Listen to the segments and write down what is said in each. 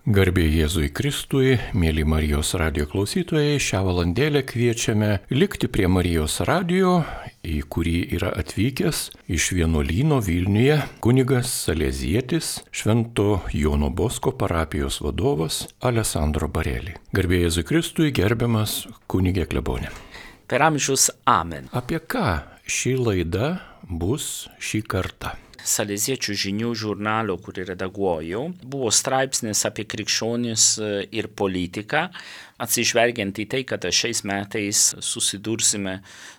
Garbė Jėzui Kristui, mėly Marijos radijo klausytojai, šią valandėlę kviečiame likti prie Marijos radijo, į kurį yra atvykęs iš vienuolyno Vilniuje kunigas Salezietis, Švento Jono Bosko parapijos vadovas Alessandro Bareli. Garbė Jėzui Kristui, gerbiamas kunigė klebonė. Per amžius amen. Apie ką ši laida bus šį kartą? Saleziečių žinių žurnalo, kurį redaguoju, buvo straipsnis apie krikščionis ir politiką, atsižvelgiant į tai, kad šiais metais susidursime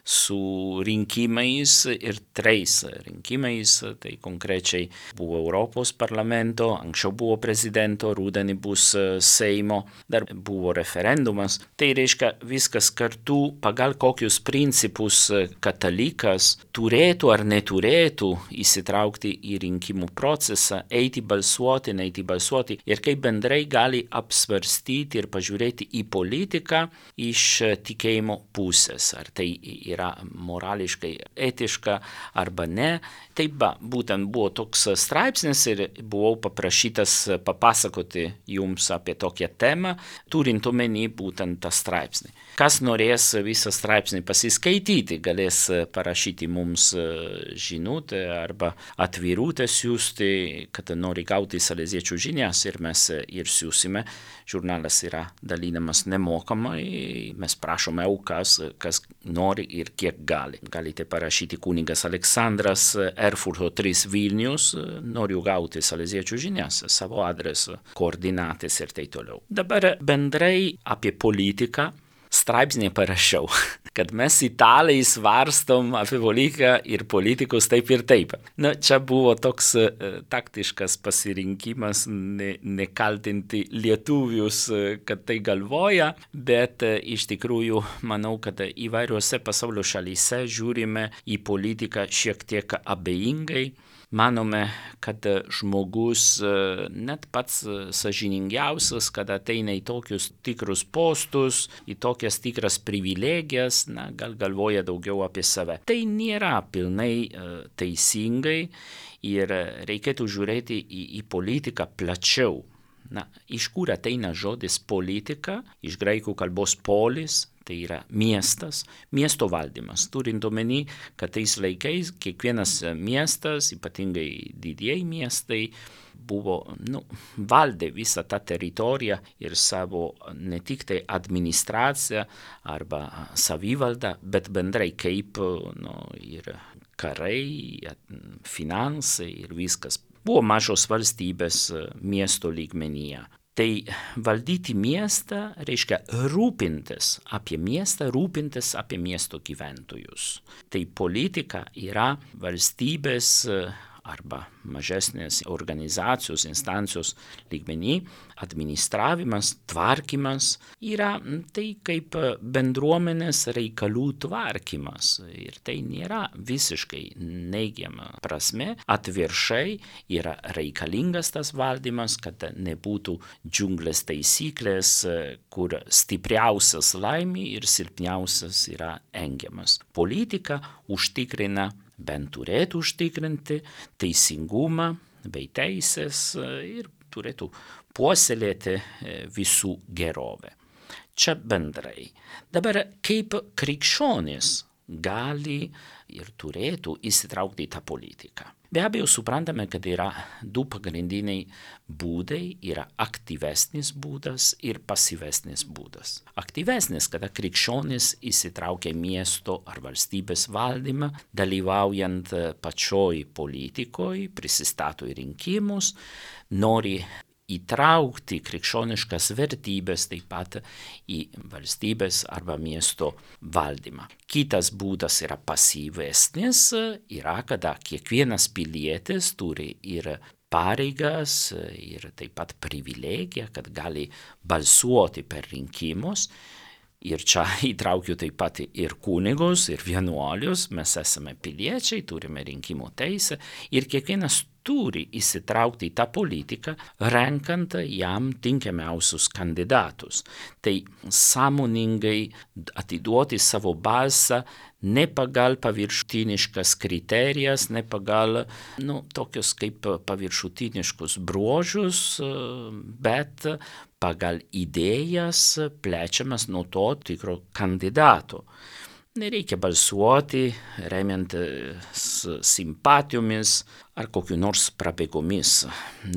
su rinkimais ir 3 rinkimais, tai konkrečiai buvo Europos parlamento, anksčiau buvo prezidento, rudenį bus Seimo, dar buvo referendumas. Tai reiškia viskas kartu, pagal kokius principus katalikas turėtų ar neturėtų įsitraukti į rinkimų procesą, eiti balsuoti, neiti balsuoti ir kaip bendrai gali apsvarstyti ir pažiūrėti į politiką iš tikėjimo pusės, ar tai yra morališkai etiška arba ne. Taip, būtent buvo toks straipsnis ir buvau paprašytas papasakoti jums apie tokią temą, turint omeny būtent tą straipsnį. Kas norės visą straipsnį pasiskaityti, galės parašyti mums žinutę arba atvirutę siųsti, kad nori gauti saleziečių žinias ir mes ir siūsime. Žurnalas yra dalinamas nemokamai, mes prašome aukas, kas nori ir kiek gali. Galite parašyti kunigas Aleksandras, Erfurto 3 Vilnius, noriu gauti saleziečių žinias, savo adresu, koordinatės ir tai toliau. Dabar bendrai apie politiką straipsnį parašiau, kad mes italai svarstom apie politiką ir politikus taip ir taip. Čia buvo toks taktiškas pasirinkimas nekaltinti lietuvius, kad tai galvoja, bet iš tikrųjų manau, kad įvairiuose pasaulio šalyse žiūrime į politiką šiek tiek abejingai. Manome, kad žmogus net pats sąžiningiausias, kad ateina į tokius tikrus postus, į tokias tikras privilegijas, gal galvoja daugiau apie save. Tai nėra pilnai teisingai ir reikėtų žiūrėti į politiką plačiau. Iš kur ateina žodis politika, iš graikų kalbos polis, tai yra miestas, miesto valdymas. Turint omeny, kad tais laikais kiekvienas miestas, ypatingai didieji miestai, buvo, valdė visą tą teritoriją ir savo ne tik tai administraciją arba savivaldą, bet bendrai kaip ir karai, finansai ir viskas. Buvo mažos valstybės miesto lygmenyje. Tai valdyti miestą reiškia rūpintis apie miestą, rūpintis apie miesto gyventojus. Tai politika yra valstybės arba mažesnės organizacijos, instancijos lygmenį, administravimas, tvarkymas yra tai kaip bendruomenės reikalų tvarkymas. Ir tai nėra visiškai neigiama prasme. Atvirkščiai yra reikalingas tas valdymas, kad nebūtų džiunglės taisyklės, kur stipriausias laimi ir silpniausias yra engiamas. Politika užtikrina, bent turėtų užtikrinti teisingumą bei teisės ir turėtų puoselėti visų gerovę. Čia bendrai. Dabar kaip krikščionys gali ir turėtų įsitraukti į tą politiką. Be abejo, suprantame, kad yra 2 pagrindiniai būdai, yra aktyvesnis būdas ir pasyvesnis būdas. Aktyvesnis, kada krikščionis įsitraukia miesto ar valstybės valdymą, dalyvaujant pačioj politikoj, prisistato į rinkimus, nori įtraukti krikščioniškas vertybės taip pat į valstybės arba miesto valdymą. Kitas būdas yra pasyvesnis, yra kada kiekvienas pilietis turi ir pareigas ir taip pat privilegiją, kad gali balsuoti per rinkimus. Ir čia įtraukiu taip pat ir kunigus, ir vienuolius, mes esame piliečiai, turime rinkimų teisę ir kiekvienas turi įsitraukti į tą politiką, renkant jam tinkamiausius kandidatus. Tai sąmoningai atiduoti savo balsą ne pagal paviršutiniškas kriterijas, ne pagal tokius kaip paviršutiniškus bruožus, bet pagal idėjas plečiamas nuo to tikro kandidato. Nereikia balsuoti remiantis simpatijomis ar kokiu nors prabėgomis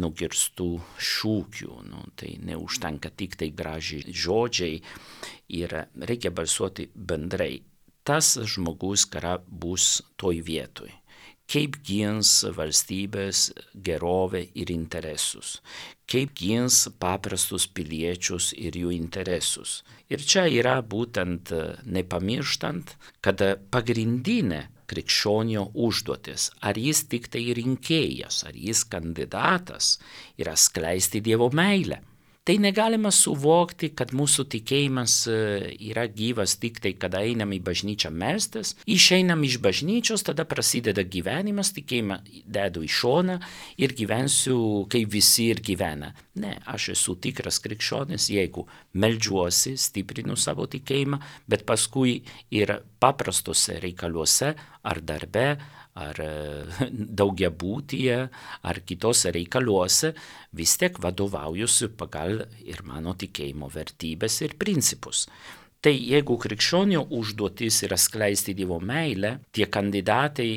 nugirstų šūkių. Tai neužtenka tik tai gražiai žodžiai ir reikia balsuoti bendrai. Tas žmogus, kuris bus toj vietoj. Kaip gins valstybės gerovę ir interesus. Kaip gins paprastus piliečius ir jų interesus. Ir čia yra būtent nepamirštant, kad pagrindinė krikščionio užduotis, ar jis tik tai rinkėjas, ar jis kandidatas, yra skleisti Dievo meilę. Tai negalima suvokti, kad mūsų tikėjimas yra gyvas tik tai, kada einam į bažnyčią melstis, išeinam iš bažnyčios, tada prasideda gyvenimas, tikėjimą dedu į šoną ir gyvensiu, kaip visi ir gyvena. Ne, aš esu tikras krikščionis, jeigu meldžiuosi, stiprinu savo tikėjimą, bet paskui ir paprastose reikaluose ar darbe, ar daugiabutyje, ar kitose reikaluose, vis tiek vadovaujuosi pagal ir mano tikėjimo vertybės ir principus. Tai jeigu krikščionio užduotis yra skleisti Dievo meilę, tie kandidatai,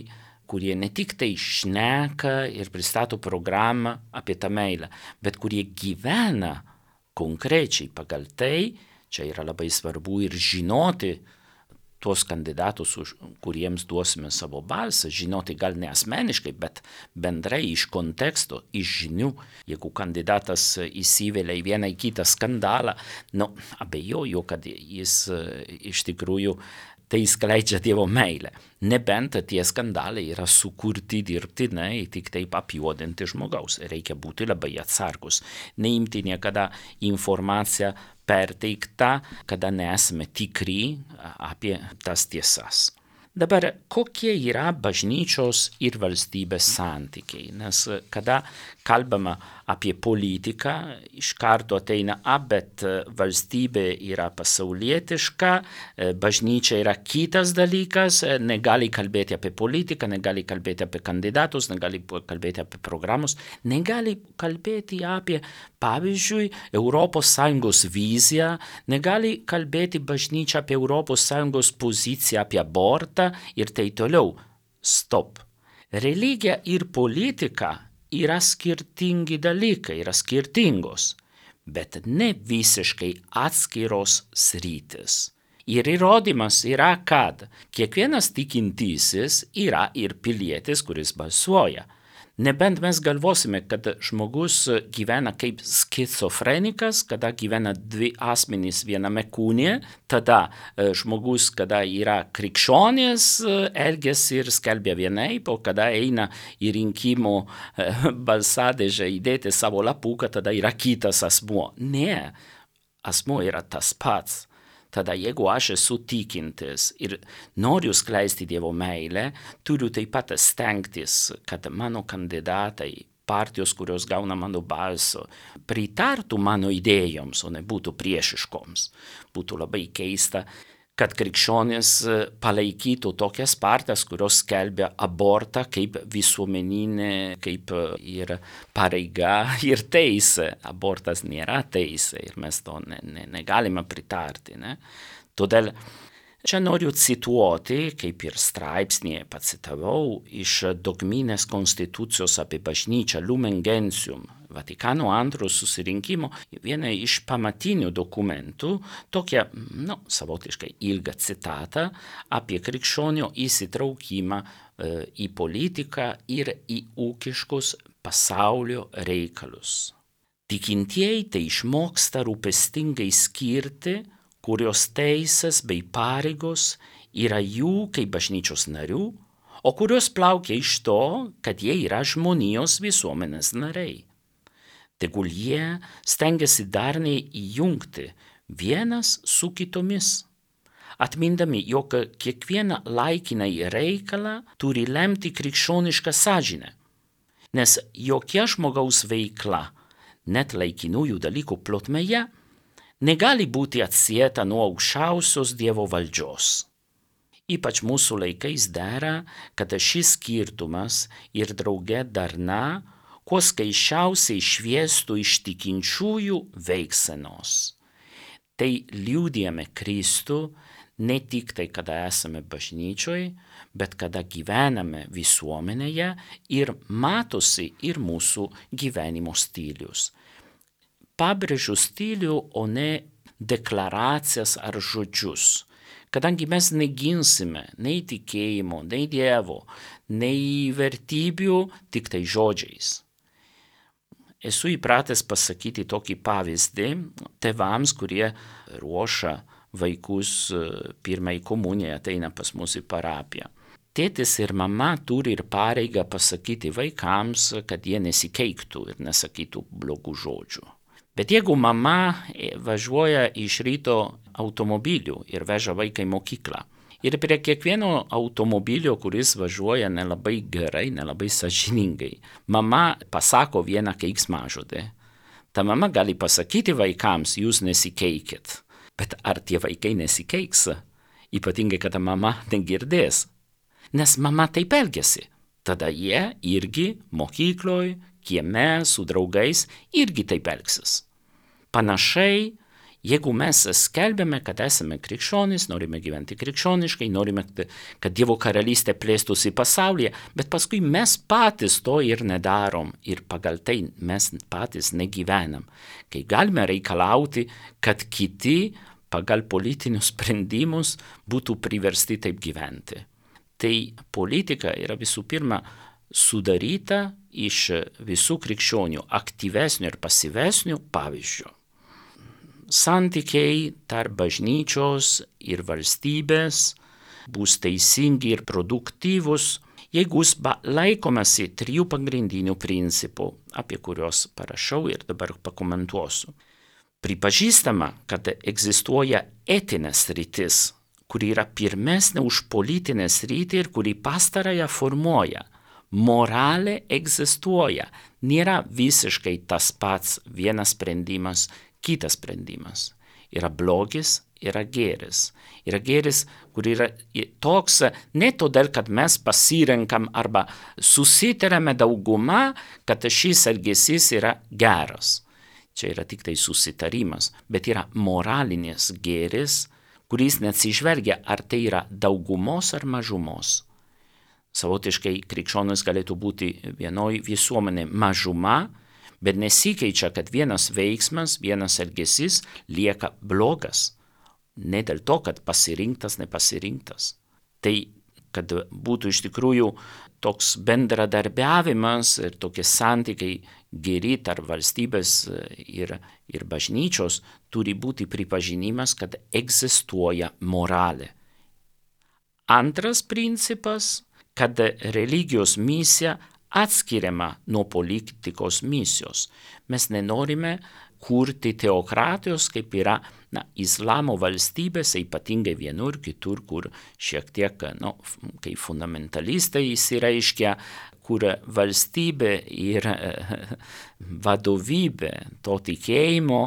kurie ne tik tai šneka ir pristato programą apie tą meilę, bet kurie gyvena konkrečiai pagal tai, čia yra labai svarbu ir žinoti, tuos kandidatus, kuriems duosime savo balsą, žinoti gal ne asmeniškai, bet bendrai iš konteksto, iš žinių. Jeigu kandidatas įsivelia į vieną į kitą skandalą, abejoju, kad jis iš tikrųjų tai skleidžia Dievo meilę. Nebent tie skandalai yra sukurti dirbtinai, tik taip apjuodinti žmogaus. Reikia būti labai atsargus. Neimti niekada informaciją perteikta, kada nesame tikri apie tas tiesas. Dabar, kokie yra bažnyčios ir valstybės santykiai? Nes kada kalbama apie politiką, iš karto ateina, bet valstybė yra pasaulietiška, bažnyčia yra kitas dalykas, negali kalbėti apie politiką, negali kalbėti apie kandidatus, negali kalbėti apie programus, negali kalbėti apie, pavyzdžiui, ES viziją, negali kalbėti bažnyčia apie ES poziciją, apie abortą ir tai toliau. Stop. Religija ir politika yra skirtingi dalykai, yra skirtingos, bet ne visiškai atskiros sritis. Ir įrodymas yra, kad kiekvienas tikintysis yra ir pilietis, kuris balsuoja. Nebent mes galvosime, kad žmogus gyvena kaip skizofrenikas, kada gyvena dvi asmenys viename kūne, tada žmogus, kada yra krikščionis, elgiasi ir skelbia vienaip, o kada eina į rinkimų balsadėžę įdėti savo lapuką, tada yra kitas asmuo. Ne, asmuo yra tas pats. Tada jeigu aš esu tikintis ir noriu skleisti Dievo meilę, turiu taip pat stengtis, kad mano kandidatai, partijos, kurios gauna mano balso, pritartų mano idėjoms, o ne būtų priešiškoms. Būtų labai keista, kad krikščionys palaikytų tokias partijas, kurios skelbia abortą kaip visuomeninė, kaip ir pareiga ir teisė. Abortas nėra teisė ir mes to negalime pritarti. Ne? Todėl čia noriu cituoti, kaip ir straipsnėje pacitavau, iš dogminės konstitucijos apie bažnyčią Lumen Gentium, Vatikano II susirinkimo, vieną iš pamatinių dokumentų, tokią, savotiškai ilgą citatą apie krikščionio įsitraukimą į politiką ir į ūkiškus pasaulio reikalus. Tikintieji tai išmoksta rūpestingai skirti, kurios teisės bei pareigos yra jų kaip bažnyčios narių, o kurios plaukia iš to, kad jie yra žmonijos visuomenės nariai. Tegul jie stengiasi darniai įjungti vienas su kitomis, atmindami, jog kiekvieną laikinai reikalą turi lemti krikščionišką sąžinę. Nes jokia žmogaus veikla, net laikinųjų dalykų plotmėje, negali būti atsieta nuo aukščiausios Dievo valdžios. Ypač mūsų laikais dera, kad šis skirtumas ir drauge darna kuo skaisčiausiai šviestų iš tikinčiųjų veiksenos. Tai liudijame Kristų ne tik tai, kada esame bažnyčioje, bet kada gyvename visuomenėje ir matosi ir mūsų gyvenimo stilius. Pabrėžiu stilių, o ne deklaracijas ar žodžius. Kadangi mes neginsime nei tikėjimo, nei Dievo, nei vertybių, tik tai žodžiais. Esu įpratęs pasakyti tokį pavyzdį tėvams, kurie ruošia vaikus pirmai komunijai, ateina pas mus į parapiją. Tėtis ir mama turi ir pareigą pasakyti vaikams, kad jie nesikeiktų ir nesakytų blogų žodžių. Bet jeigu mama važiuoja iš ryto automobiliu ir veža vaiką į mokyklą, ir prie kiekvieno automobilio, kuris važiuoja nelabai gerai, nelabai sąžiningai, mama pasako vieną keiksmažodį, ta mama gali pasakyti vaikams, jūs nesikeikit. Bet ar tie vaikai nesikeiks? Ypatingai, kad mama negirdės. Nes mama taip elgiasi. Tada jie irgi mokykloj, kieme, su draugais irgi taip elgsis. Panašiai, jeigu mes skelbėme, kad esame krikščionys, norime gyventi krikščioniškai, norime, kad Dievo karalystė plėstųsi pasaulyje, bet paskui mes patys to ir nedarom ir pagal tai mes patys negyvenam. Kai galime reikalauti, kad kiti pagal politinius sprendimus būtų priversti taip gyventi. Tai politika yra visų pirma sudaryta iš visų krikščionių aktyvesnių ir pasyvesnių pavyzdžių. Santykiai tarp bažnyčios ir valstybės bus teisingi ir produktyvus, jeigu laikomasi 3 pagrindinių principų, apie kuriuos parašau ir dabar pakomentuosiu. Pripažįstama, kad egzistuoja etinė sritis, kuri yra pirmesnė už politinę sritį ir kuri pastarąją formuoja. Moralė egzistuoja, nėra visiškai tas pats vienas sprendimas, kitas sprendimas. Yra blogis, yra gėris. Yra gėris, kur yra toks ne todėl, kad mes pasirenkam arba susitarėme dauguma, kad šis elgesys yra geras. Čia yra tik tai susitarimas, bet yra moralinis gėris, kuris neatsižvelgia, ar tai yra daugumos ar mažumos. Savotiškai krikščionis galėtų būti vienoj visuomenė mažuma, bet nesikeičia, kad vienas veiksmas, vienas elgesys lieka blogas. Ne dėl to, kad pasirinktas, nepasirinktas. Tai, kad būtų iš tikrųjų toks bendradarbiavimas ir tokie santykiai geri tarp valstybės ir bažnyčios, turi būti pripažinimas, kad egzistuoja moralė. Antras principas, kad religijos misija atskiriama nuo politikos misijos. Mes nenorime kurti teokratijos, kaip yra islamo valstybėse, ypatingai vienur, kitur, kur šiek tiek, kai fundamentalistai įsireiškia, kur valstybė ir vadovybė to tikėjimo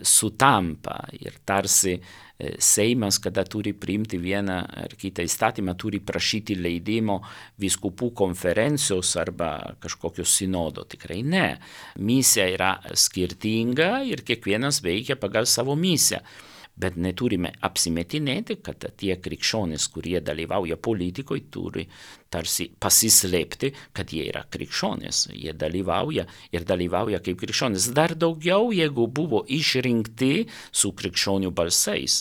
sutampa ir tarsi Seimas, kada turi priimti vieną ar kitą įstatymą, turi prašyti leidimo vyskupų konferencijos arba kažkokio sinodo. Tikrai ne. Misija yra skirtinga ir kiekvienas veikia pagal savo misiją. Bet neturime apsimetinėti, kad tie krikščionys, kurie dalyvauja politikoje, turi tarsi pasislėpti, kad jie yra krikščionys. Jie dalyvauja kaip krikščionys. Dar daugiau, jeigu buvo išrinkti su krikščionių balsais.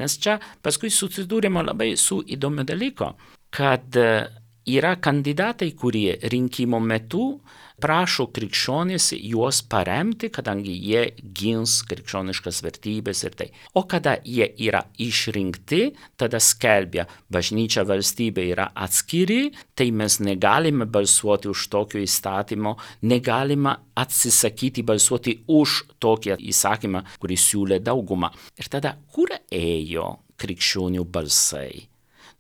Nes čia paskui susidūrėme labai su įdomiu dalyku, kad yra kandidatai, kurie rinkimo metu prašo krikščionys juos paremti, kadangi jie gins krikščioniškas vertybės ir tai. O kada jie yra išrinkti, tada skelbia, bažnyčia valstybė yra atskiri, tai mes negalime balsuoti už tokio įstatymo, negalime atsisakyti balsuoti už tokį įsakymą, kurį siūlė dauguma. Ir tada, kur ėjo krikščionių balsai?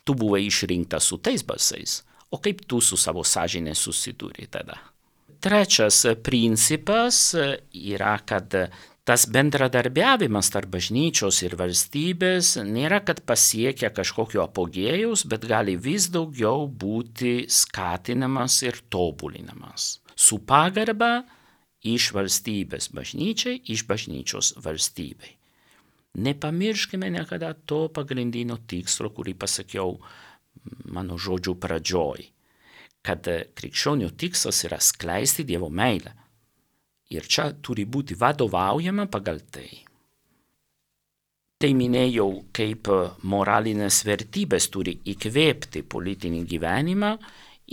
Tu buvai išrinktas su tais balsais, o kaip tu su savo sąžinė susidūrė tada? trečias principas yra, kad tas bendradarbiavimas tarp bažnyčios ir valstybės nėra, kad pasiekia kažkokio apogėjaus, bet gali vis daugiau būti skatinamas ir tobulinamas. Su pagarba iš valstybės bažnyčiai, iš bažnyčios valstybei. Nepamirškime niekada to pagrindinio tikslo, kurį pasakiau mano žodžių pradžioj, kad krikščionių tikslas yra skleisti Dievo meilę. Ir čia turi būti vadovaujama pagal tai. Tai minėjau, kaip moralinės vertybės turi įkvėpti politinį gyvenimą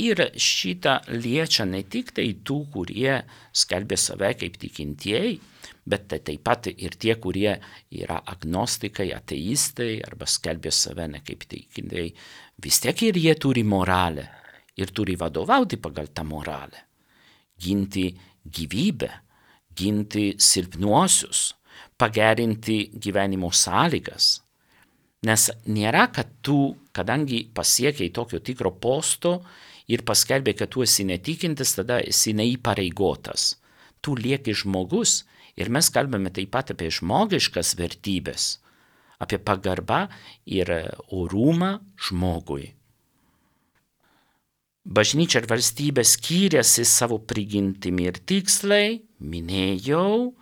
ir šitą liečia ne tik tai tų, kurie skelbia save kaip tikintieji, bet tai taip pat ir tie, kurie yra agnostikai, ateistai arba skelbia save ne kaip tikintieji. Vis tiek ir jie turi moralę ir turi vadovauti pagal tą moralę. Ginti gyvybę, ginti silpnuosius, pagerinti gyvenimo sąlygas. Nes nėra, kad tu, kadangi pasiekiai tokio tikro posto ir paskelbė, kad tu esi netikintis, tada esi neįpareigotas. Tu lieki žmogus ir mes kalbame taip pat apie žmogiškas vertybės, apie pagarbą ir orumą žmogui. Bažnyčia ir valstybė skiriasi savo prigimtimi ir tikslai, minėjau,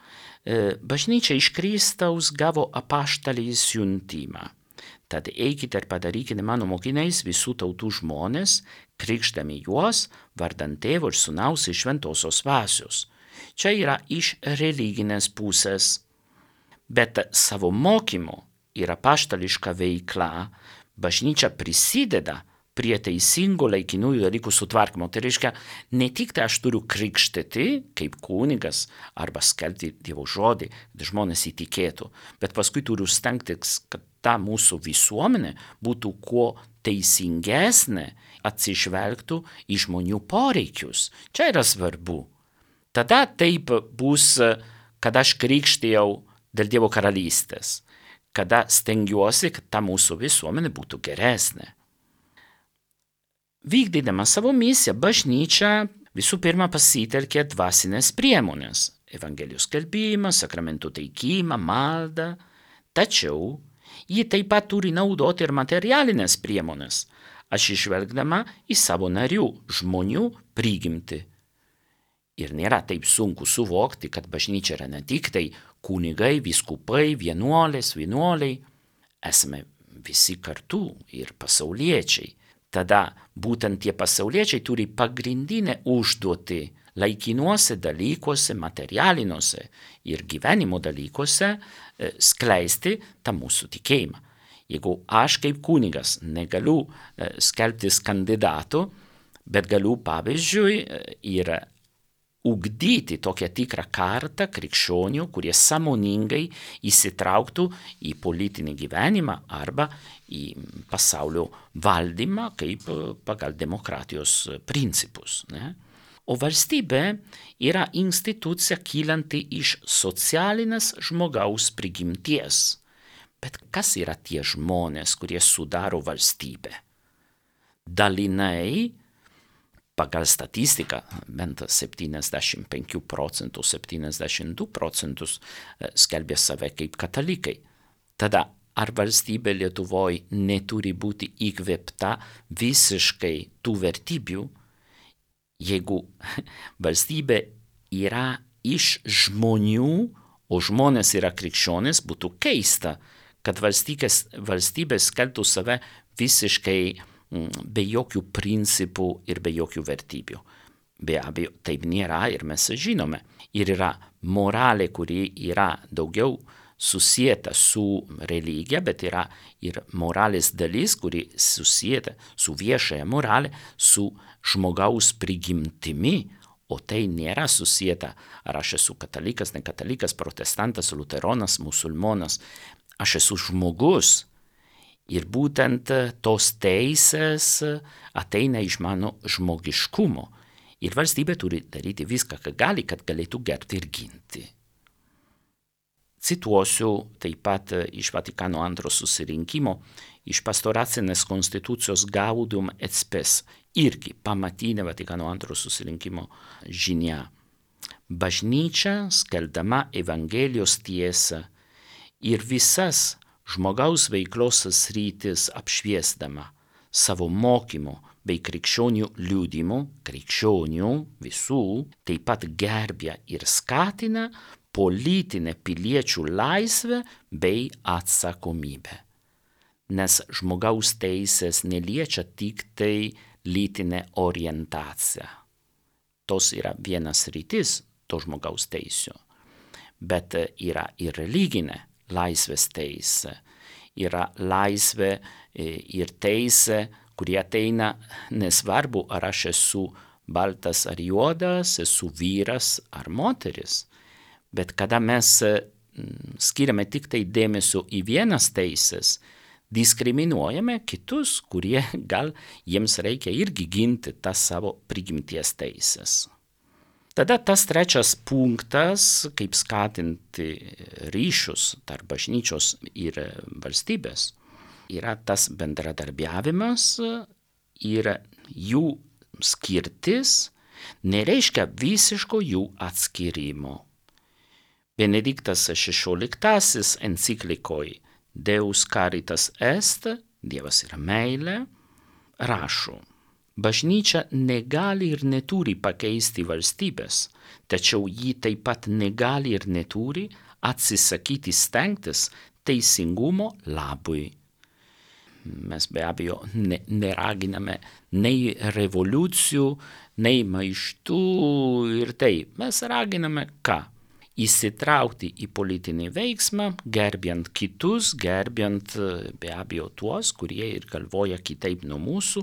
bažnyčia iš Kristaus gavo apaštalį siuntimą. Tad eikite ir padarykite mano mokiniais visų tautų žmonės, krikštami juos vardan Tėvo ir Sūnaus ir Šventosios Dvasios. Čia yra iš religinės pusės, bet savo mokymu ir apaštališka veikla bažnyčia prisideda prie teisingo laikinųjų dalykų sutvarkymo. Tai reiškia, ne tik tai aš turiu krikštyti kaip kunigas arba skelbti Dievo žodį, kad žmonės įtikėtų, bet paskui turiu stengtis, kad ta mūsų visuomenė būtų kuo teisingesnė, atsižvelgtų į žmonių poreikius. Čia yra svarbu. Tada taip bus, kad aš krikštijau dėl Dievo karalystės, kada stengiuosi, kad ta mūsų visuomenė būtų geresnė. Vykdydama savo misiją, bažnyčia visų pirma pasitelkė dvasinės priemonės – evangelijos skelbimą, sakramentų teikimą, maldą. Tačiau ji taip pat turi naudoti ir materialinės priemonės, atsižvelgdama į savo narių, žmonių prigimtį. Ir nėra taip sunku suvokti, kad bažnyčia yra ne tik tai kunigai, vyskupai, vienuoliai. Esame visi kartu ir pasauliečiai. Tada būtent tie pasauliečiai turi pagrindinę užduotį laikinuose dalykuose, materialiniuose ir gyvenimo dalykuose skleisti tą mūsų tikėjimą. Jeigu aš kaip kunigas negaliu skelbtis kandidatų, bet galiu pavyzdžiui ir ugdyti tokią tikrą kartą krikščionių, kurie sąmoningai įsitrauktų į politinį gyvenimą arba į pasaulio valdymą kaip pagal demokratijos principus. Ne? O valstybė yra institucija kylanti iš socialinės žmogaus prigimties. Bet kas yra tie žmonės, kurie sudaro valstybę? Dalinai, pagal statistiką, bent 75%, 72% skelbia save kaip katalikai. Tada ar valstybė Lietuvoje neturi būti įkvėpta visiškai tų vertybių, jeigu valstybė yra iš žmonių, o žmonės yra krikščionys, būtų keista, kad valstybė skelbtų save visiškai be jokių principų ir be jokių vertybių. Be abejo, taip nėra ir mes žinome. Ir yra moralė, kuri yra daugiau susieta su religija, bet yra ir moralės dalis, kuri susieta su viešąja moralė, su žmogaus prigimtimi, o tai nėra susieta, ar aš esu katalikas, nekatalikas, protestantas, luteronas, musulmonas. Aš esu žmogus. Ir būtent tos teisės ateina iš mano žmogiškumo. Ir valstybė turi daryti viską, ką gali, kad galėtų gerbti ir ginti. Cituosiu taip pat iš Vatikano II susirinkimo, iš pastoracinės konstitucijos Gaudium et Spes, irgi pamatinė Vatikano II susirinkimo žinia. Bažnyčia, skelbdama Evangelijos tiesą ir visas žmogaus veiklos sritis apšviesdama savo mokymu bei krikščionių liudijimu, krikščionių visų, taip pat gerbia ir skatina politinę piliečių laisvę bei atsakomybę. Nes žmogaus teisės neliečia tik tai lytinę orientaciją. Tos yra vienas rytis to žmogaus teisių, bet yra ir religinė laisvės teisė, yra laisvė ir teisė, kurie ateina nesvarbu, ar aš esu baltas ar juodas, esu vyras ar moteris. Bet kada mes skiriame tik tai dėmesio į vienas teisės, diskriminuojame kitus, kurie gal jiems reikia irgi ginti tas savo prigimties teisės. Tada tas trečias punktas, kaip skatinti ryšius tarp bažnyčios ir valstybės, yra tas bendradarbiavimas ir jų skirtis nereiškia visiško jų atskyrimo. Benediktas XVI enciklikoj Deus Caritas Est, Dievas yra meilė, rašo: bažnyčia negali ir neturi pakeisti valstybės, tačiau ji taip pat negali ir neturi atsisakyti stengtis teisingumo labui. Mes be abejo neraginame nei revoliucijų, nei maištų ir taip. Mes raginame ką? Įsitraukti į politinį veiksmą, gerbiant kitus, gerbiant be abejo tuos, kurie ir galvoja kitaip nuo mūsų,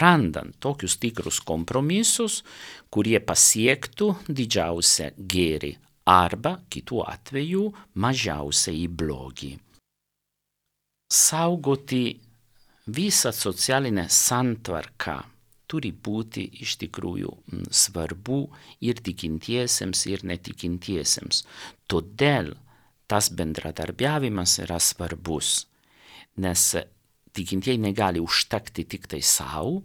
randant tokius tikrus kompromisus, kurie pasiektų didžiausią gėrį arba kitų atveju mažiausiai blogį. Saugoti visą socialinę santvarką turi būti iš tikrųjų svarbu ir tikintiesiems, ir netikintiesiems. Todėl tas bendradarbiavimas yra svarbus, nes tikintieji negali užtekti tik tai savo,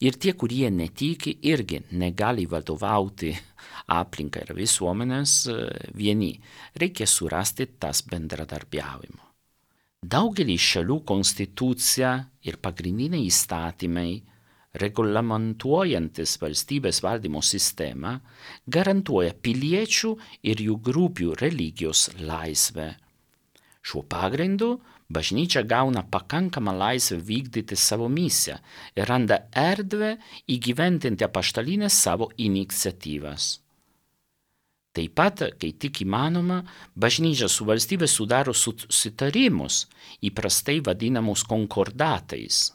ir tie, kurie netiki, irgi negali vadovauti aplinkai ir visuomenės vieni. Reikia surasti tas bendradarbiavimo. Daugelį šalių konstitucija ir pagrindiniai įstatymai reglamentuojantis valstybės valdymo sistemą, garantuoja piliečių ir jų grupių religijos laisvę. Šiuo pagrindu bažnyčia gauna pakankamą laisvę vykdyti savo misiją ir randa erdvę įgyvendinti apaštalinės savo iniciatyvas. Taip pat, kai tik įmanoma, bažnyčia su valstybė sudaro susitarimus, įprastai vadinamus konkordatais,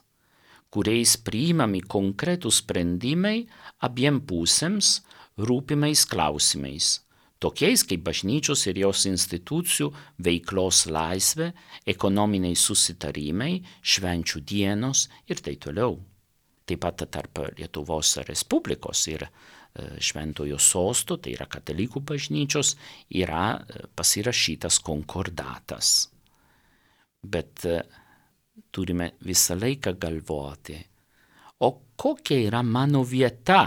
kuriais priimami konkretūs sprendimai abiem pusėms rūpimais klausimais, tokiais kaip bažnyčios ir jos institucijų veiklos laisvė, ekonominiai susitarimai, švenčių dienos ir taip toliau. Taip pat tarp Lietuvos Respublikos ir Šventojo Sosto, tai yra katalikų bažnyčios, yra pasirašytas konkordatas. Bet turime visą laiką galvoti, o kokia yra mano vieta?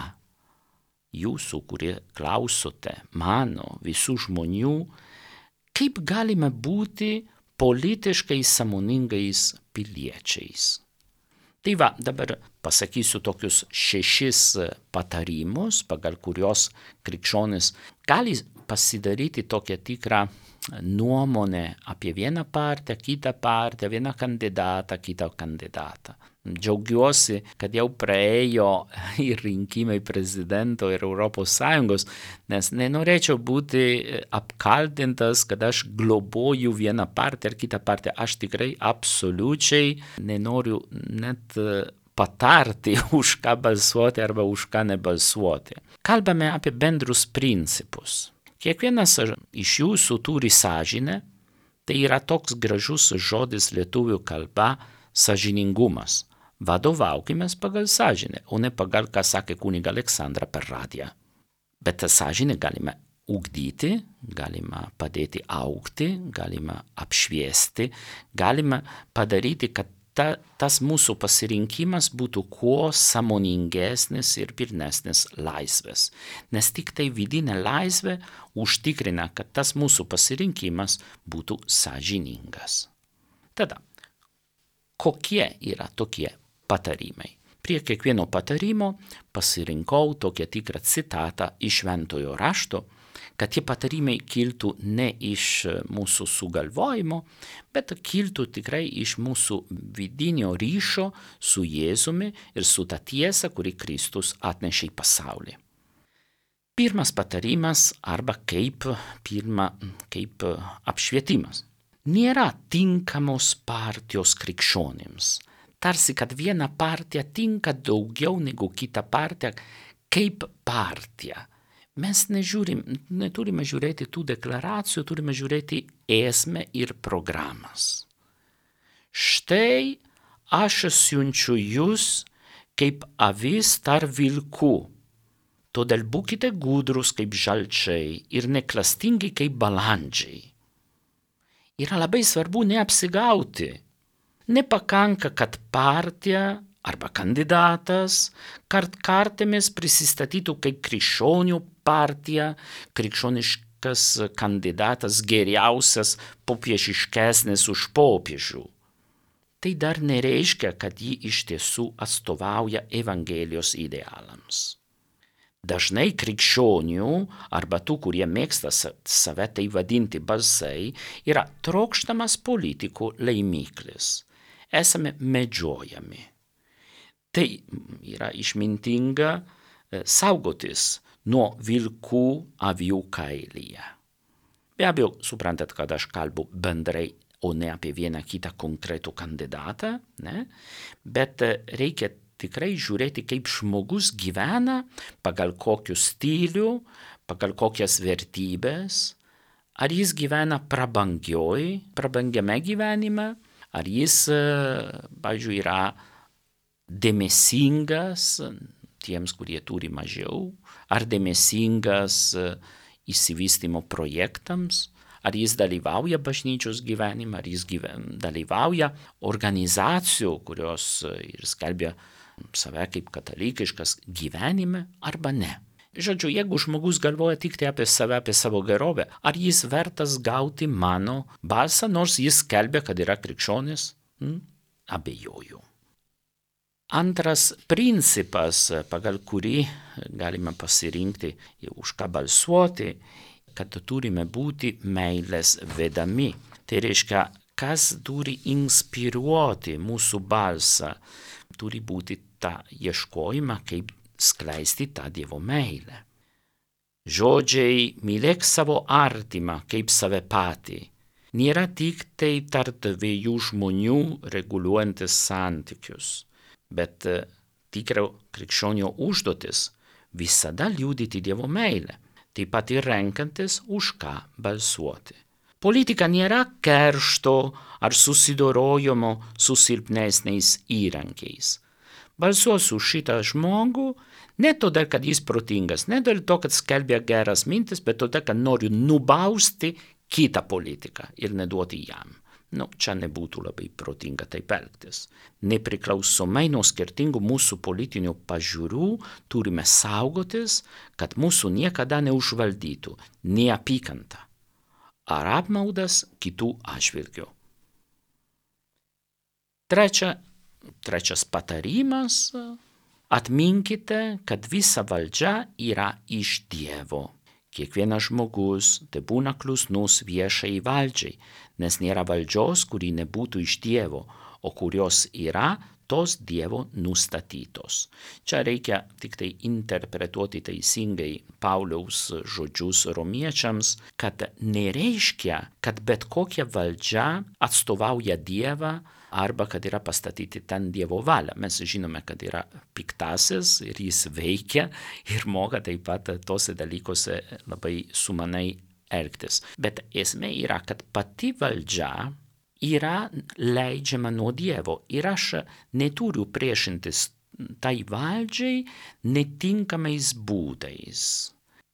Jūsų, kurie klausote, mano, visų žmonių, kaip galime būti politiškai sąmoningais piliečiais? Tai va, dabar pasakysiu tokius 6 patarimus, pagal kurios krikščionis gali pasidaryti tokią tikrą nuomonę apie vieną partiją, kitą partiją, vieną kandidatą, kitą kandidatą. Džiaugiuosi, kad jau praėjo ir rinkimai prezidento ir Europos Sąjungos, nes nenorėčiau būti apkaltintas, kad aš globoju vieną partiją ar kitą partiją. Aš tikrai absoliučiai nenoriu net patarti, už ką balsuoti arba už ką nebalsuoti. Kalbame apie bendrus principus. Kiekvienas iš jūsų turi sąžinę, tai yra toks gražus žodis lietuvių kalba sąžiningumas. Vadovaukimės pagal sąžinę, o ne pagal, ką sakė kuniga Aleksandra per radiją. Bet tą sąžinę galime ugdyti, galima padėti augti, galima apšviesti, galima padaryti, kad tas mūsų pasirinkimas būtų kuo sąmoningesnis ir pilnesnis laisvės. Nes tik tai vidinė laisvė užtikrina, kad tas mūsų pasirinkimas būtų sąžiningas. Tada, kokie yra tokie patarimai? Prie kiekvieno patarimo pasirinkau tokią tikrą citatą iš Šventojo rašto, kad tie patarimai kiltų ne iš mūsų sugalvojimo, bet kiltų tikrai iš mūsų vidinio ryšio su Jėzumi ir su ta tiesa, kuri Kristus atnešė į pasaulį. Pirmas patarimas arba kaip apšvietimas. Nėra tinkamos partijos krikščionims. Tarsi, kad viena partija tinka daugiau negu kita partija kaip partija. Mes neturime žiūrėti tų deklaracijų, turime žiūrėti esmę ir programas. Štai aš siunčiu jūs kaip avis tarp vilkų. Todėl būkite gudrus kaip žalčiai ir neklastingi kaip balandžiai. Yra labai svarbu neapsigauti. Nepakanka, kad partija arba kandidatas kartkartėmis prisistatytų kaip krikščionių partija, krikščioniškas kandidatas geriausias, popiežiškesnis už popiežių. Tai dar nereiškia, kad ji iš tiesų atstovauja Evangelijos idealams. Dažnai krikščionių arba tų, kurie mėgsta save tai vadinti balsai, yra trokštamas politikų laimiklis. Esame medžiojami. Tai yra išmintinga saugotis nuo vilkų avių kailyje. Be abejo, suprantat, kad aš kalbu bendrai, o ne apie vieną kitą konkretų kandidatą, ne? Bet reikia tikrai žiūrėti, kaip žmogus gyvena, pagal kokių stilių, pagal kokias vertybės, ar jis gyvena prabangiame gyvenime, ar jis, pavyzdžiui, yra dėmesingas tiems, kurie turi mažiau, ar dėmesingas išsivystymo projektams, ar jis dalyvauja bažnyčios gyvenime, ar jis dalyvauja organizacijų, kurios ir skelbia save kaip katalikiškas gyvenime, arba ne. Žodžiu, jeigu žmogus galvoja tik tai apie save, apie savo gerovę, ar jis vertas gauti mano balsą, nors jis skelbia, kad yra krikščionis? Abejoju. Antras principas, pagal kurį galime pasirinkti, už ką balsuoti, kad turime būti meilės vedami. Tai reiškia, kas turi inspiruoti mūsų balsą, turi būti tą ieškojimą, kaip skleisti tą Dievo meilę. Žodžiai mylėk savo artimą kaip save patį nėra tik tai tarp dviejų žmonių reguliuojantis santykius, bet tikro krikščionio užduotis visada liudyti Dievo meilę, taip pat ir renkantis už ką balsuoti. Politika nėra keršto ar susidorojimo su silpnesniais įrankiais. Balsuosiu už šitą žmogų ne todėl, kad jis protingas, ne dėl to, kad skelbia geras mintis, bet todėl, kad noriu nubausti kitą politiką ir neduoti jam. Čia nebūtų labai protinga taip elgtis. Nepriklausomai nuo skirtingų mūsų politinių pažiūrų turime saugotis, kad mūsų niekada neužvaldytų neapykanta ar apmaudas kitų atžvilgiu. Trečias patarimas – atminkite, kad visa valdžia yra iš Dievo. Kiekvienas žmogus tai būna klusnus viešai valdžiai, nes nėra valdžios, kuri nebūtų iš Dievo, o kurios yra tos Dievo nustatytos. Čia reikia tik tai interpretuoti teisingai Pauliaus žodžius romiečiams, kad nereiškia, kad bet kokia valdžia atstovauja Dievą arba kad yra pastatyti ten Dievo valia. Mes žinome, kad yra piktasis ir jis veikia ir moka taip pat tose dalykose labai sumanai elgtis. Bet esmė yra, kad pati valdžia yra leidžiama nuo Dievo ir aš neturiu priešintis tai valdžiai netinkamais būdais.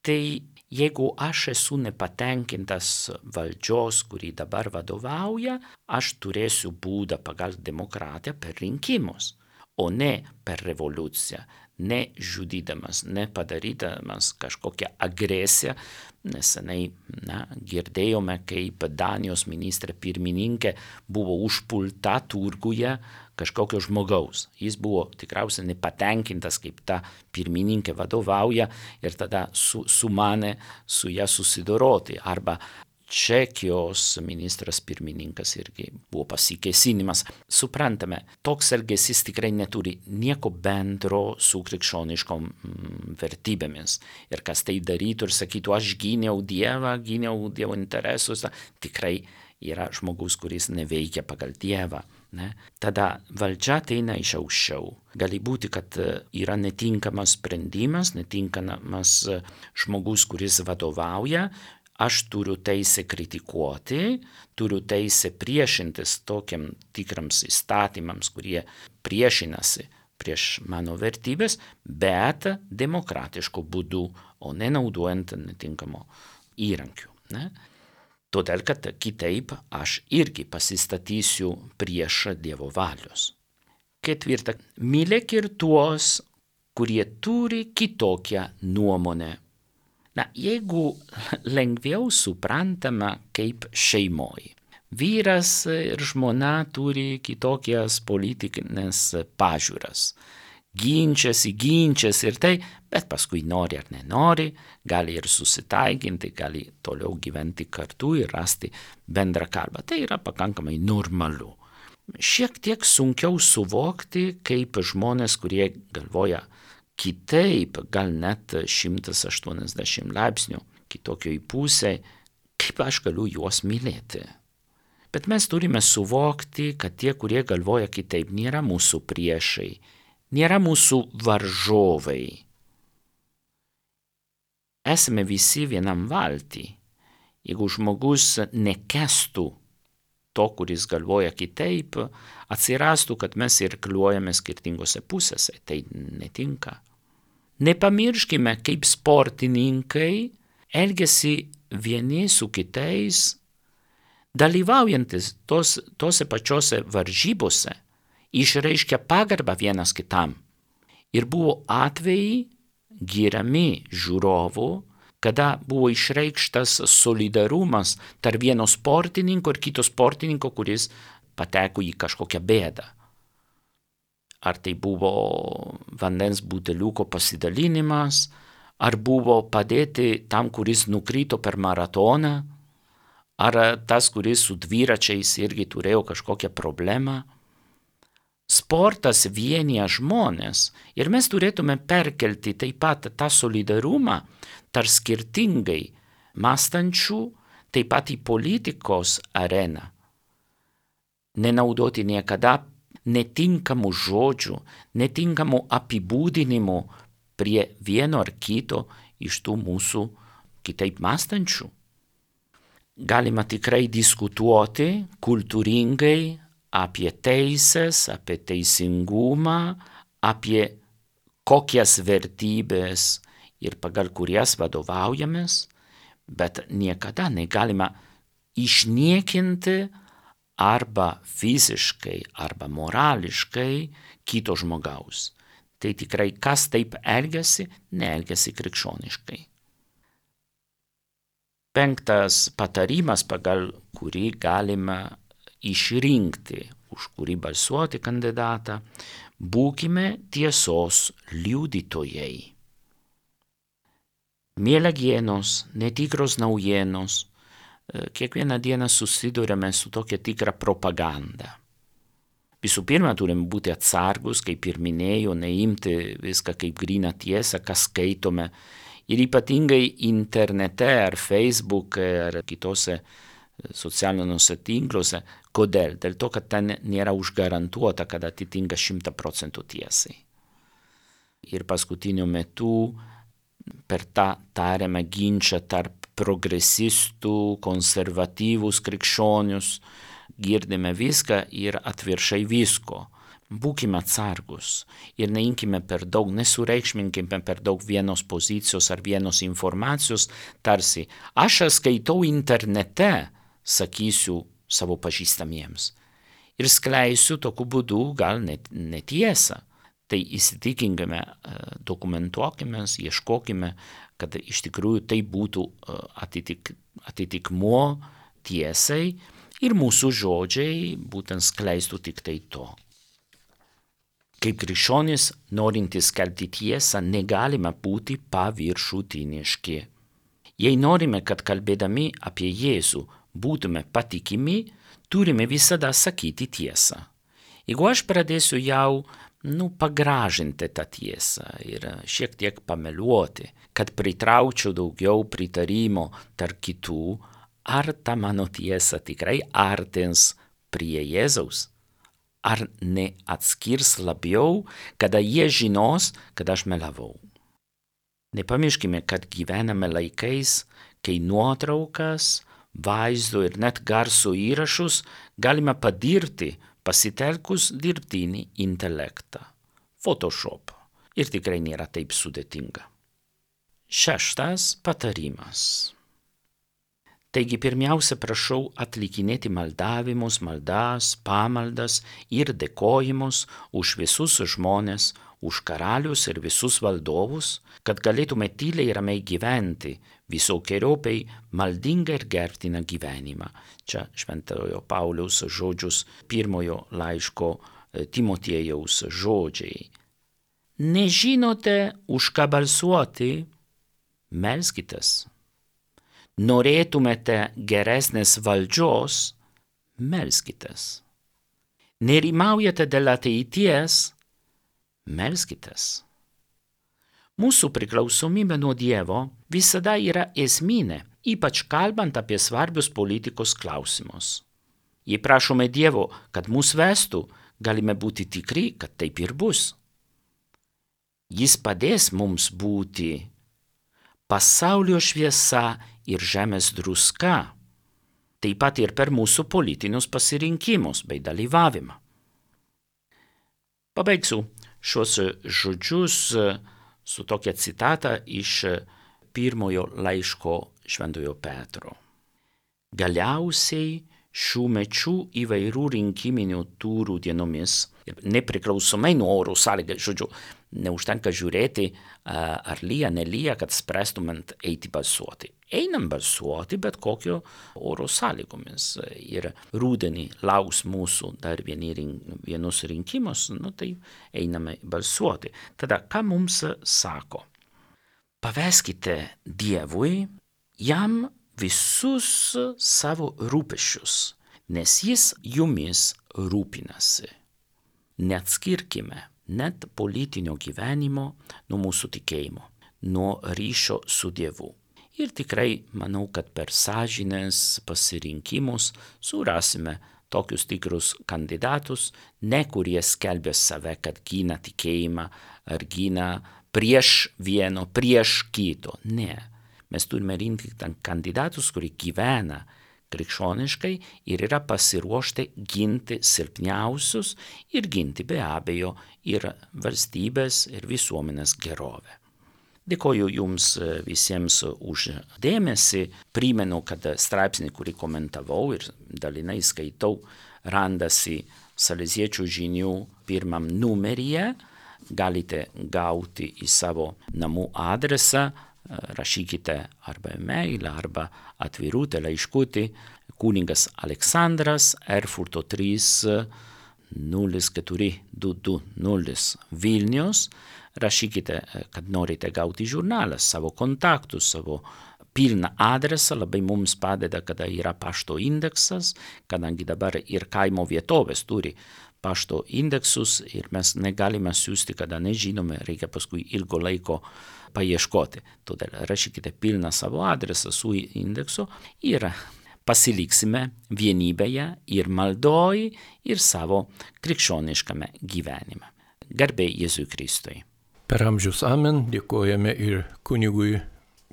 Tai Jeigu aš esu nepatenkintas valdžios, kuri dabar vadovauja, aš turėsiu būdą pagal demokratiją per rinkimus, o ne per revoliuciją, ne žudydamas, ne padarydamas kažkokią agresiją. Nesenai girdėjome, kaip Danijos ministrė pirmininkė buvo užpulta turguje kažkokio žmogaus. Jis buvo tikriausiai nepatenkintas, kaip ta pirmininkė vadovauja ir tada sumanė su ją susidoroti. Arba Čekijos ministras pirmininkas irgi buvo pasikėsinimas. Suprantame, toks elgesys tikrai neturi nieko bendro su krikščioniškom vertybėmis. Ir kas tai darytų ir sakytų, aš gyniau Dievą, gyniau Dievo interesus, tikrai yra žmogus, kuris neveikia pagal Dievą. Ne? Tada valdžia ateina iš aukščiau. Gali būti, kad yra netinkamas sprendimas, netinkamas žmogus, kuris vadovauja. Aš turiu teisę kritikuoti, turiu teisę priešintis tokiam tikrams įstatymams, kurie priešinasi prieš mano vertybės, bet demokratišku būdu, o nenaudojant netinkamo įrankių. Ne? Todėl, kad kitaip aš irgi pasistatysiu prieš Dievo valios. Ketvirta, mylėk ir tuos, kurie turi kitokią nuomonę. Jeigu lengviau suprantama kaip šeimoj. Vyras ir žmona turi kitokias politinės pažiūras. Ginčiasi ir tai, bet paskui nori ar nenori, gali ir susitaikinti, gali toliau gyventi kartu ir rasti bendrą kalbą. Tai yra pakankamai normalu. Šiek tiek sunkiau suvokti, kaip žmonės, kurie galvoja kitaip, gal net 180 laipsnių kitokioj pusėj, kaip aš galiu juos mylėti. Bet mes turime suvokti, kad tie, kurie galvoja kitaip, nėra mūsų priešai, nėra mūsų varžovai. Esame visi vienam valty. Jeigu žmogus nekęstų to, kuris galvoja kitaip, atsirastų, kad mes irkliuojame skirtingose pusėse. Tai netinka. Nepamirškime, kaip sportininkai elgiasi vieni su kitais, dalyvaujantis tose pačiose varžybose, išreiškia pagarbą vienas kitam. Ir buvo atvejai giriami žiūrovų, kada buvo išreikštas solidarumas tarp vieno sportininko ir kito sportininko, kuris pateko į kažkokią bėdą. Ar tai buvo vandens buteliuko pasidalinimas, ar buvo padėti tam, kuris nukrito per maratoną, ar tas, kuris su dviračiais irgi turėjo kažkokią problemą. Sportas vienija žmonės ir mes turėtume perkelti taip pat tą solidarumą tarp skirtingai mąstančių, taip pat į politikos areną. Nenaudoti niekada netinkamų žodžių, netinkamų apibūdinimų prie vieno ar kito iš tų mūsų kitaip mąstančių. Galima tikrai diskutuoti kultūringai apie teisės, apie teisingumą, apie kokias vertybės ir pagal kurias vadovaujamės, bet niekada negalima išniekinti arba fiziškai, arba morališkai kito žmogaus. Tai tikrai kas taip elgiasi, neelgiasi krikščioniškai. Penktas patarimas, pagal kurį galima išrinkti, už kurį balsuoti kandidatą, būkime tiesos liudytojai. Mielagienos, netikros naujienos, kiekvieną dieną susiduriame su tokia tikra propaganda. Visų pirma, turime būti atsargus, kaip ir minėjau, neimti viską kaip gryną tiesą, ką skaitome. Ir ypatingai internete ar Facebook ar kitose socialiniuose tinkluose. Kodėl? Dėl to, kad ten nėra užgarantuota, kad atitinka 100% tiesai. Ir paskutiniu metu per tą tariamą ginčą tarp progresistų, konservatyvus krikščionius, girdime viską ir atvirkščiai visko. Būkime atsargus ir neimkime per daug, nesureikšminkime per daug vienos pozicijos ar vienos informacijos, tarsi aš skaitau internete, sakysiu savo pažįstamiems. Ir skleisiu tokiu būdu gal netiesą. Tai įsitikinkime, dokumentuokime, ieškokime, kad iš tikrųjų tai būtų atitikmuo tiesai ir mūsų žodžiai būtent skleistų tik tai to. Kaip krikščionys, norintys skelbti tiesą, negalime būti paviršutiniški. Jei norime, kad kalbėdami apie Jėzų būtume patikimi, turime visada sakyti tiesą. Jeigu aš pradėsiu jau pagražinti tą tiesą ir šiek tiek pameluoti, kad pritraukčiau daugiau pritarimo tarp kitų, ar ta mano tiesa tikrai artins prie Jėzaus? Ar neatskirs labiau, kada jie žinos, kad aš melavau? Nepamirškime, kad gyvename laikais, kai nuotraukas, vaizdo ir net garso įrašus galime padirti pasitelkus dirbtinį intelektą, Photoshop. Ir tikrai nėra taip sudėtinga. 6. patarimas. Taigi pirmiausia prašau atlikinėti maldavimus, maldas, pamaldas ir dėkojimus už visus žmones, už karalius ir visus valdovus, kad galėtume tyliai ramiai gyventi visokiojopai maldingą ir gerbtiną gyvenimą. Čia šventojo Pauliaus žodžius pirmojo laiško Timotiejaus žodžiai. Nežinote, už ką balsuoti? Melskitės. Norėtumėte geresnės valdžios? Melskitės. Nerimaujate dėl ateities? Melskitės. Mūsų priklausomybė nuo Dievo visada yra esminė, ypač kalbant apie svarbius politikos klausimus. Jei prašome Dievo, kad mus vestų, galime būti tikri, kad taip ir bus. Jis padės mums būti pasaulio šviesa ir žemės druska, taip pat ir per mūsų politinius pasirinkimus bei dalyvavimą. Pabaigsiu šios žodžius su tokia citata iš pirmojo laiško šventojo Petro. Galiausiai šių mečių įvairių rinkiminių turų dienomis, nepriklausomai nuo oro sąlygų, neužtenka žiūrėti, ar lyja, nelyja, kad spręstumėt eiti balsuoti. Einam balsuoti, bet kokio oro sąlygomis. Ir rudenį lauks mūsų dar vienus rinkimus, tai einame balsuoti. Tada, ką mums sako? Paveskite Dievui, jam visus savo rūpesčius, nes jis jumis rūpinasi. Neatskirkime net politinio gyvenimo nuo mūsų tikėjimo, nuo ryšio su Dievu. Ir tikrai manau, kad per sąžinės pasirinkimus surasime tokius tikrus kandidatus, ne kurie skelbia save, kad gina tikėjimą ar gina prieš vieno, prieš kito. Ne. Mes turime rinkti kandidatus, kurie gyvena krikščioniškai ir yra pasiruošti ginti silpniausius ir ginti be abejo ir valstybės ir visuomenės gerovę. Dėkoju Jums visiems už dėmesį. Primenu, kad straipsnį, kurį komentavau ir dalinai skaitau, randasi Saleziečių žinių 1 numeryje. Galite gauti į savo namų adresą. Rašykite arba e-mail, arba atvirutę laiškutį kunigas Aleksandras, Erfurto 3 04220 Vilnius. Rašykite, kad norite gauti žurnalą, savo kontaktus, savo pilną adresą. Labai mums padeda, kada yra pašto indeksas, kadangi dabar ir kaimo vietovės turi pašto indeksus ir mes negalime siųsti, kada nežinome, reikia paskui ilgo laiko paieškoti. Todėl rašykite pilną savo adresą su indeksu ir pasiliksime vienybėje ir maldoj ir savo krikščioniškame gyvenime. Garbė Jėzui Kristui. Per amžius amen, dėkojame ir kunigui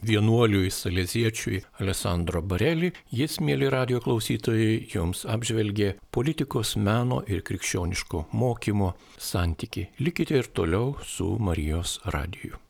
vienuoliui saleziečiui Alessandro Bareli. Jis, mėly radio klausytojai, jums apžvelgė politikos, meno ir krikščioniško mokymo santykį. Likite ir toliau su Marijos radiju.